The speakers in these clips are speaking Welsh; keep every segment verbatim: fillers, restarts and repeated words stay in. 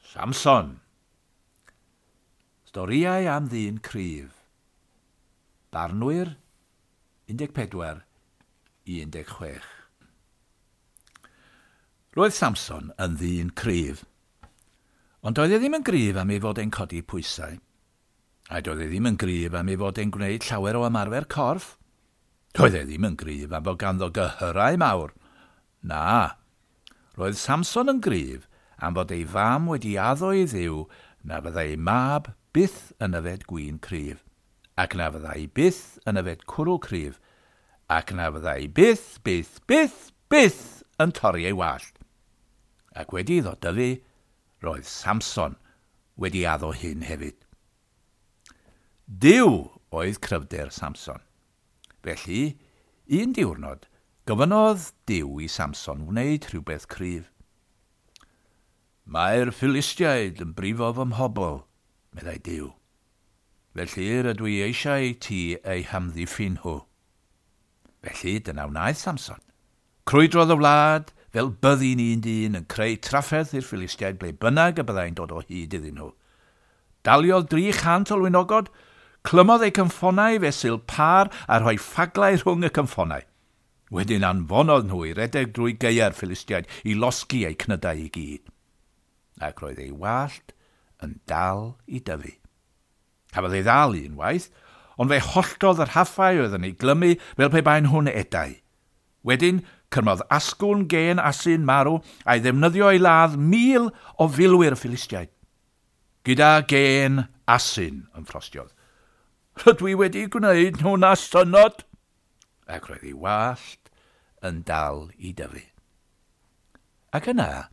Samson. Storïau am ddyn cryf. Barnwyr un deg pedwar i un deg chwech. Roedd Samson yn ddyn cryf. Ond doedd e ddim yn gryf am ei fod e'n codi pwysau. A doedd e ddim yn gryf am ei fod e'n gwneud llawer o ymarfer corff. Doedd e ddim yn gryf am fod ganddo gyhyrau mawr. Na, roedd Samson yn gryf am fod ei fam wedi addo i Dduw na fyddai ei mab byth yn yfed gwin cryf, ac na fyddai byth yn yfed cwrw cryf, ac na fyddai byth, byth, byth, byth yn torri ei wallt. Ac wedi iddo dyfu, roedd Samson wedi addo hyn hefyd. Duw oedd cryfder Samson. Felly, un diwrnod, gofynnodd Duw i Samson wneud rhywbeth cryf. "Mae'r Philistiaid yn brifo fy mhobl," meddai Duw. "Felly rydw i eisiau ti eu hamddiffyn nhw." Felly dyna wnaeth Samson. Crwydrodd y wlad fel byddin un dyn yn creu trafferth i'r Philistiaid ble bynnag y byddai'n dod o hyd iddyn nhw. Daliodd dri chant o lwynogod, clymodd eu cynffonau fesul pâr a rhoi ffaglau rhwng y cynffonau. Wedyn anfonodd nhw i redeg drwy gaeau'r Philistiaid i losgi eu cnydau i gyd. Ac roedd ei wallt yn dal i dyfu. Cafodd ei ddal unwaith, ond fe holltodd yr rhaffau oedd yn ei glymu fel pe baen nhw'n edau. Wedyn, cyrmodd asgwrn gên asyn marw a'i ddefnyddio i ladd mil o filwyr y Philistiaid. "Gyda gên asyn," ymffrostiodd. "Rydw i wedi gwneud nhw'n asynnod." Ac roedd ei wallt yn dal i dyfu. Ac yna,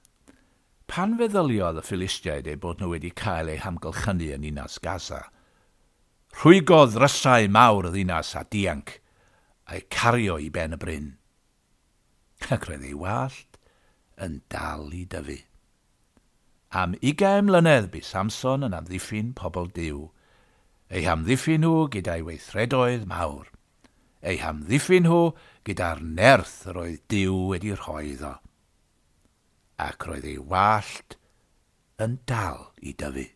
pan feddyliodd y Philistiaid eu bod nhw wedi cael eu hamgylchynu yn ninas Gaza, rhwygodd ddrysau mawr y ddinas a dianc, a'i cario i ben y bryn. Ac roedd ei wallt yn dal i dyfu. Am ugain mlynedd bu Samson yn amddiffyn pobl Duw, eu hamddiffyn nhw gyda'i weithredoedd mawr, eu hamddiffyn nhw gyda'r nerth yr oedd Duw wedi rhoi iddo. Ac roedd ei wallt yn dal i dyfu.